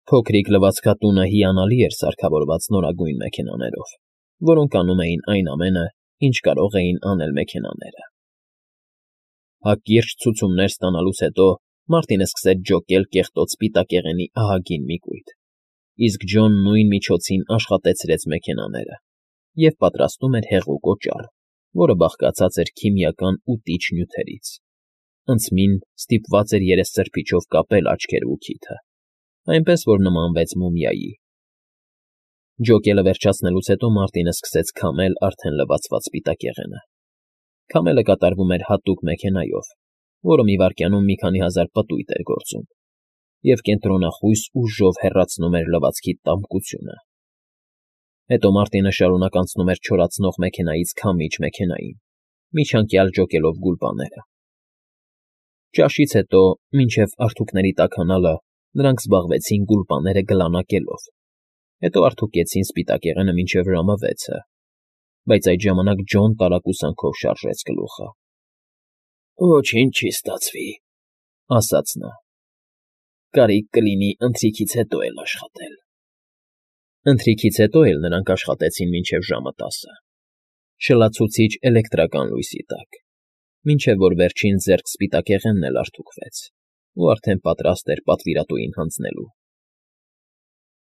Փոքրիկ լվացքատունը հիանալի էր սարքավորված նորագույն մեքենաներով, որոնք անում էին այն ամենը, ինչ կարող էին անել մեքենաները։ Հակիրճ ցուցումներ ստանալուց հետո Մարտինը սկսեց ջոկել կեղտոտ սպիտակեղենի ահագին մի կույտ, իսկ Ջոն նույն միջոցին աշխատեցրեց մեքենաները և պատրաստում էր հեղուկ օճառ, որը բաղկացած էր քիմիական ու տիչ նյութերից։ Անցմին ստիպված էր երեսցրփիչով կապել աչքերն ու քիթը, այնպես որ նմանվեց մումիայի։ Ջոկելը վերջացնելուց հետո Մարտինը սկսեց քամել արդեն լվացված սպիտակեղենը։ Քամելը կատարվում էր հատուկ մեքենայով, որը մի վայրկյանում մի քանի հազար պտույտ էր գործում, և կենտրոնախույս ուժով հեռացնում էր լվացքի տամկությունը։ Հետո Մարտինը շարունակ անցնում էր չորացնող մեքենայից քամիչ մեքենային, միջանկյալ ջոկելով գուլպաները։ Ճաշից հետո, մինչև արթուքների տաքանալը, նրանք զբաղվեցին գուլպաները գլանակելով, հետո արթուկեցին սպիտակեղենը մինչև ժամը 6-ը, բայց այդ ժամանակ Ջոն տարակուսանքով շարժեց գլուխը։ «Ոչինչ չի ստացվի», ֊ ասաց նա։ «Կարիք կլինի ընթրիքից հետո էլ աշխատել»։ Ընթրիքից հետո էլ նրանք աշխատեցին մինչև ժամը 10-ը, շլացուցիչ էլեկտրական լույսի տակ, մինչև որ վերջին ձեռք սպիտակեղենն էլ արթուքվեց ու արդեն պատրաստ էր պատվիրատուին հանձնելու։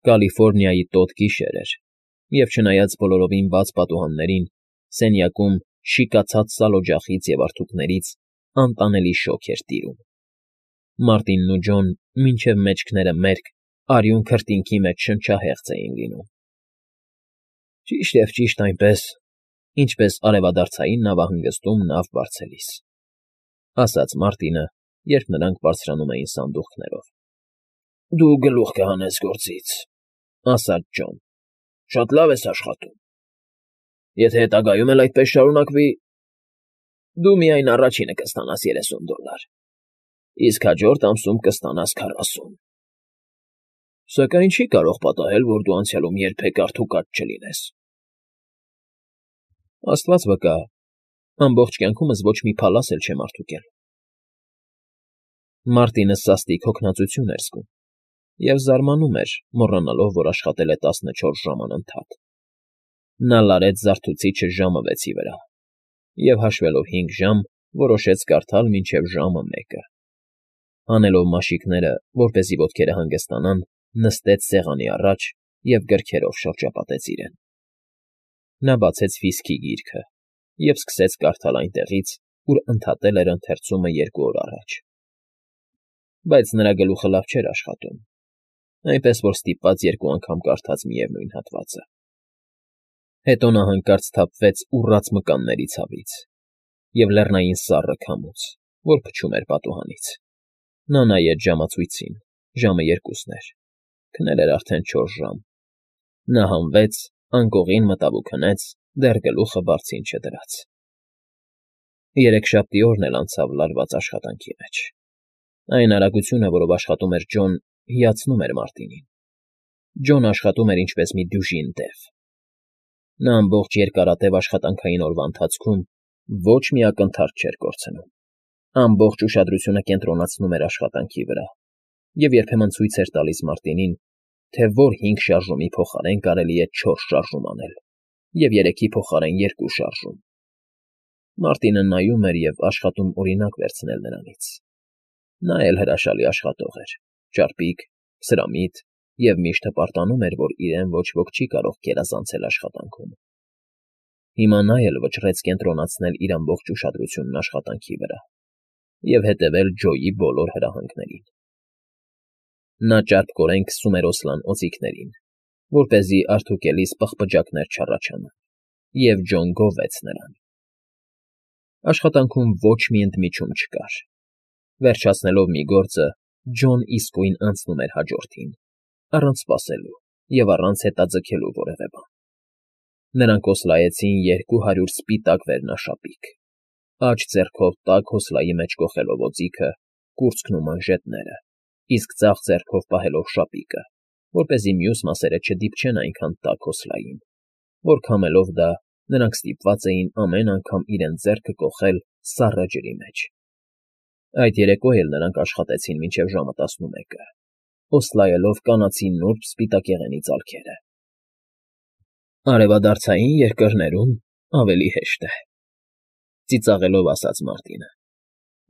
Կալիֆոռնիայի տոտ գիշեր էր, և չնայած բոլորովին բաց պատուհաններին, սենյակում շիկացած սալօջախից և արթուքներից անտանելի շոգ էր տիրում։ Մարտինն ու Ջոն մինչև մեջքները մերկ արյուն քրտինքի մեջ շնչահեղձ էին լինում։ «Ճիշտ և ճիշտ այնպես, ինչպես արևադարձային նավահանգստում նավ բարձելիս», ֊ ասաց Մարտինը, երբ նրանք բարձրանում էին սանդուղքներով։ «Դու գլուխ կհանես գործից», ֊ ասաց Ջոն։ «Շատ լավ ես աշխատում։ Եթե հետագայում էլ այդպես շարունակվի, դու միայն առաջինը կստանաս $30, իսկ հաջորդ ամսում կստանաս 40։ Սակայն չի կարող պատահել, որ դու անցյալում երբեք արդուկած չլինես»։ «Աստված վկա, ամբողջ կյանքումս ոչ մի փալաս էլ չեմ արդուկել»։ Մարտինը սաստիկ հոգնածություն էր զգում և զարմանում էր, մոռանալով, որ աշխատել է 14 ժամ անընդհատ։ Նա լարեց զարթուցիչը ժամը 6-ի վրա և, հաշվելով 5 ժամ, որոշեց կարդալ մինչև ժամը 1-ը։ Հանելով մաշիկները, որպեսզի ոտքերը հանգստանան, նստեց սեղանի առաջ և գրքերով շրջապատեց իրեն։ Նա բացեց վիսկի գիրքը և սկսեց կարդալ այնտեղից, ուր ընդհատել էր ընթերցումը 2 օր առաջ։ Բայց նրա գլուխը լավ չէր աշխատում, այնպես որ ստիպված 2 անգամ կարդաց միևնույն հատվածը։ Հետո նա հանկարծ սթափվեց ուռած մկանների ցավից և լեռնային սառը քամուց, որ փչում էր պատուհանից։ Նա նայեց ժամացույցին, ժամը 2-ն էր, քնել էր արդեն 4 ժամ։ Նա հանվեց, անկողին մտավ ու քնեց, դեռ գլուխը բարձին չդրած։ Երեքշաբթի օրն էլ անցավ լարված աշխատանքի մեջ։ Այն արագությունը, որով աշխատում էր Ջոն, հիացնում էր Մարտինին։ Ջոն աշխատում էր ինչպես մի դյուժին դև։ Նա ամբողջ երկարատև աշխատանքային օրվա ընթացքում ոչ մի ակնթարթ չէր կորցնում, ամբողջ ուշադրությունը կենտրոնացնում էր աշխատանքի վրա և երբեմն ցույց էր տալիս Մարտինին, թե որ 5 շարժումի փոխարեն կարելի է 4 շարժում անել և 3-ի փոխարեն 2 շարժում։ Մարտինը նայում էր և աշխատում օրինակ վերցնել նրանից։ Նա էլ հրաշալի աշխատող էր, ճարպիկ, սրամիտ և միշտ հպարտանում էր, որ իրեն ոչ ոք չի կարող գերազանցել աշխատանքում։ Հիմա նա էլ վճռեց կենտրոնացնել իր ամբողջ ուշադրությունն աշխատանքի վրա և հետևել Ջոյի բոլոր հրահանգներին։ Նա ճարպկորեն քսում էր օսլան օձիքներին, որպեսզի արդյունքելիս պղպջակներ չառաջանան, և Ջոն գովեց նրան։ Աշխատանքում ոչ մի ընդմիջում չկար։ Վերջացնելով մի գործը, Ջոն իսկույն անցնում էր հաջորդին, առանց սպասելու և առանց հետաձգելու որևէ բան։ Նրանք օսլայեցին 200 սպիտակ վերնաշապիկ, աջ ձեռքով տաք հոսլայի մեջ կոխելով օձիքը, կուրծքն ու մանժետները, իսկ ձախ ձեռքով պահելով շապիկը, որպեսզի մյուս մասերը չդիպչեն այնքան տաք հոսլային, որ քամելով դա նրանք ստիպված էին ամեն անգամ իրենց ձեռքը կոխել սառը ջրի մեջ։ Այդ երեկո էլ նրանք աշխատեցին մինչև ժամը 11-ը։ օսլայելով կանացի նուրբ սպիտակեղենի ծալքերը։ Արևադարձային երկրներում ավելի հեշտ է, ծիծաղելով ասաց Մարտինը։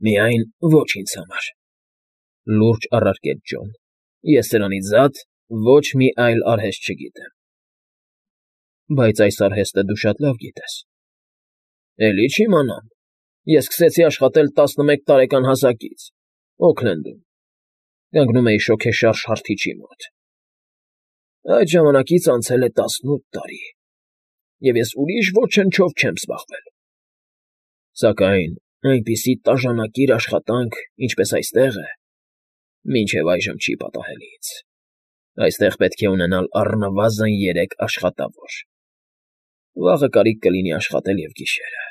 Միայն ոչ ինձ համար, լուրջ առարկեց Ջոն։ Ես սրանից զատ ոչ մի այլ արհեստ չգիտեմ։ Բայց այս արհեստը դու շատ լավ գիտես։ Էլի չիմանամ։ Ես սկսեցի աշխատել 11 տարեկան հասակից, Օքլենդում։ Կանգնում էի շոգեշարժ հարթիչի մոտ։ Այդ ժամանակից անցել է 18 տարի, և ես ուրիշ ոչնչով չեմ զբաղվել։ Սակայն այնպիսի տաժանակիր աշխատանք, ինչպես այստեղ է, մինչև այժմ չի պատահել ինձ։ Այստեղ պետք է ունենալ առնվազն 3 աշխատավոր։ Վաղը կարիք կլինի աշխատել և գիշերը։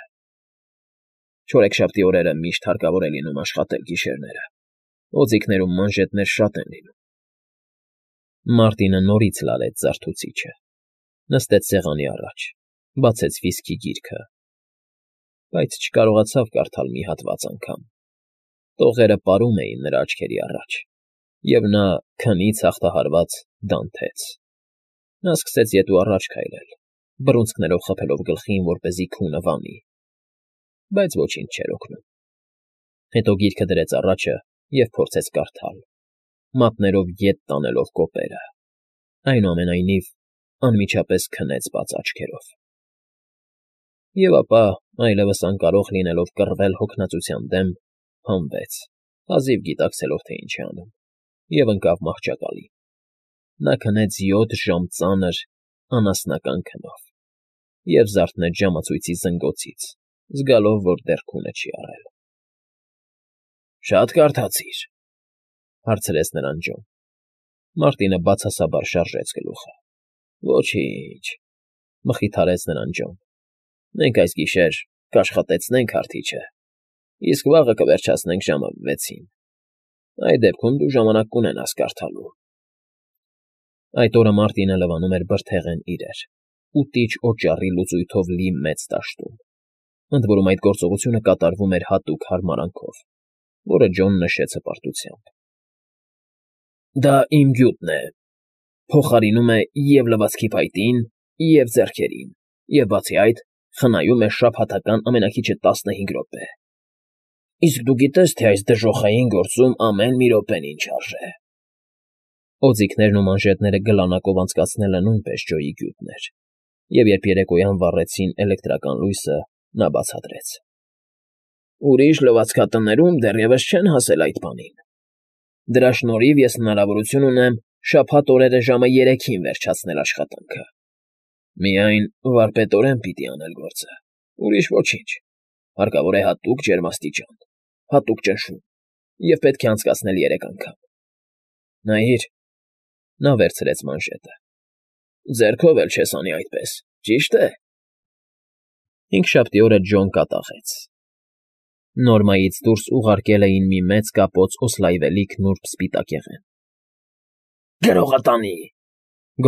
Չորեքշաբթի օրերը միշտ հարկավոր է լինում աշխատել գիշերները։ Օձիքներում մանժետներ շատ են լինում։ Մարտինը նորից լարեց զարթուցիչը, նստեց սեղանի առաջ, բացեց վիսկի գիրքը, բայց չկարողացավ կարդալ մի հատված անգամ։ Տողերը պարում էին նրա աչքերի առաջ, և նա քնից հաղթահարված դանթեց։ Նա սկսեց ետ ու առաջ քայլել, բռունցքներով խփելով գլխին, որպեսզի քունը վանի, բայց ոչինչ չէր օգնում։ Հետո գիրքը դրեց առաջը և փորձեց կարդալ, մատներով ետ տանելով կոպերը։ Այնուամենայնիվ, անմիջապես քնեց բաց աչքերով։ Եվ ապա, այլևս անկարող լինելով կռվել հոգնածության դեմ, հանվեց, հազիվ գիտակցելով, թե ինչ է անում, և ընկավ մահճակալի։ Նա քնեց 7 ժամ ծանր, անասնական քնով և զարթնեց ժամացույցի զնգոցից, զգալով, որ դեռ քունը չի առել։ Շատ կարդացի՞ր,֊ հարցրեց նրան Ջոն։ Մարտինը բացասաբար շարժեց գլուխը։ Ոչինչ,֊ մխիթարեց նրան Ջոն։ Մենք այս գիշեր կաշխատեցնենք հարթիչը, իսկ վաղը կվերջացնենք ժամը 6-ին։ Այդ դեպքում դու ժամանակ կունենաս կարդալու։ Այդ օրը Մարտինը լվանում էր բրդեղեն իրեր ու տիճ օճառի լուծույթով լի մեծ դաշտում։ Ընդ որում այդ գործողությունը կատարվում էր հատուկ հարմարանքով, որը Ջոն նշեց հպարտությամբ։ Դա իմ գյուտն է, փոխարինում է և լվացքի փայտին, և ձեռքերին, և բացի այդ, խնայում է շաբաթական ամենաքիչը 15 րոպե։ Իսկ դու գիտես, թե այս դժոխային գործում ամեն մի րոպեն ինչ արժե։ Օձիքներն ու մանժետները գլանակով անցկացնելը նույնպես Ջոյի գյուտն էր, և երբ երեկոյան վառեցին էլեկտրական լույսը, նա բացատրեց. Ուրիշ լվացքատներում դեռևս չեն հասել այդ բանին։ Դրա շնորհիվ ես հնարավորություն ունեմ շաբաթ օրերը ժամը 3-ին վերջացնել աշխատանքը։ Միայն վարպետորեն պիտի անել գործը, ուրիշ ոչինչ։ Հարկավոր է հատուկ ջերմաստիճան, հատուկ ճնշում, և պետք է անցկացնել 3 անգամ։ Նայիր, նա վերցրեց մանժետը։ Ձեռքով էլ չես անի այդպես, ճի՞շտ է։ Հինգշաբթի օրը Ջոն կատաղեց։ Նորմայից դուրս ուղարկել էին մի մեծ կապոց օսլայվելիք նուրբ սպիտակեղեն։ Գրողատանի,֊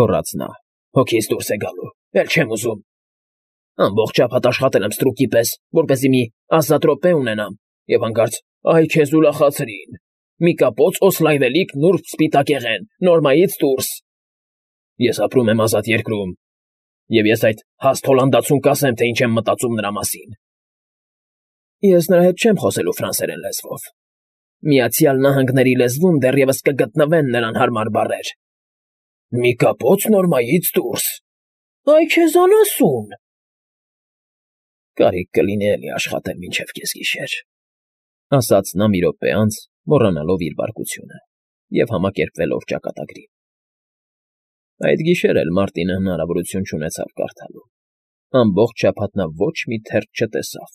գոռաց նա,֊ հոգիս դուրս է գալու, էլ չեմ ուզում։ Ամբողջ շաբաթ աշխատել եմ ստրուկի պես, որպեսզի մի ազատ րոպե ունենամ, և հանկարծ, այ քեզ ուրախացրին, մի կապոց օսլայվելիք նուրբ սպիտակեղեն, նորմայից դուրս։ Ես ապրում եմ ազատ երկրում, և ես այդ հաստ հոլանդացուն կասեմ, թե ինչ եմ մտածում նրա մասին։ Ես նրա հետ չեմ խոսելու ֆրանսերեն լեզվով։ Միացյալ Նահանգների լեզվում դեռևս կգտնվեն նրան հարմար բառեր։ Մի կապոց նորմայից դուրս։ Այ քեզ անասուն։ Կարիք կլինի էլի աշխատել մինչև կեսգիշեր,֊ ասաց նա մի րոպե անց, մոռանալով իր բարկությունը և համակերպվելով ճակատագրին։ Այդ գիշեր էլ Մարտինը հնարավորություն չունեցավ կարդալու։ Ամբողջ շաբաթ նա ոչ մի թերթ չտեսավ,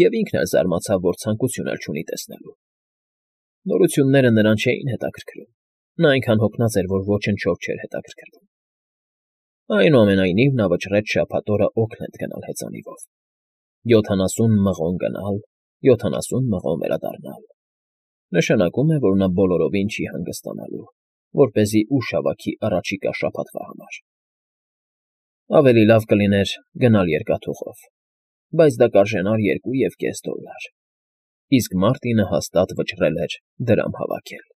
և ինքն էլ զարմացավ, որ ցանկություն էլ չունի տեսնելու։ Նորությունները նրան չէին հետաքրքրում, նա այնքան հոգնած էր, որ ոչնչով չէր հետաքրքրվում։ Այնուամենայնիվ նա վճռեց շաբաթ օրը Օքլենդ գնալ հեծանիվով։ 70 մղոն գնալ, 70 մղոն վերադառնալ։ Նշանակում է, որ նա բոլորովին չի հանգստանալու, որպեսզի ուժ հավաքի առաջիկա շաբաթվա համար։ Ավելի լավ կլիներ գնալ երկաթուղով, բայց դա կարժենար $2.5, իսկ Մարտինը հաստատ վճռել էր դրամ հավաքել։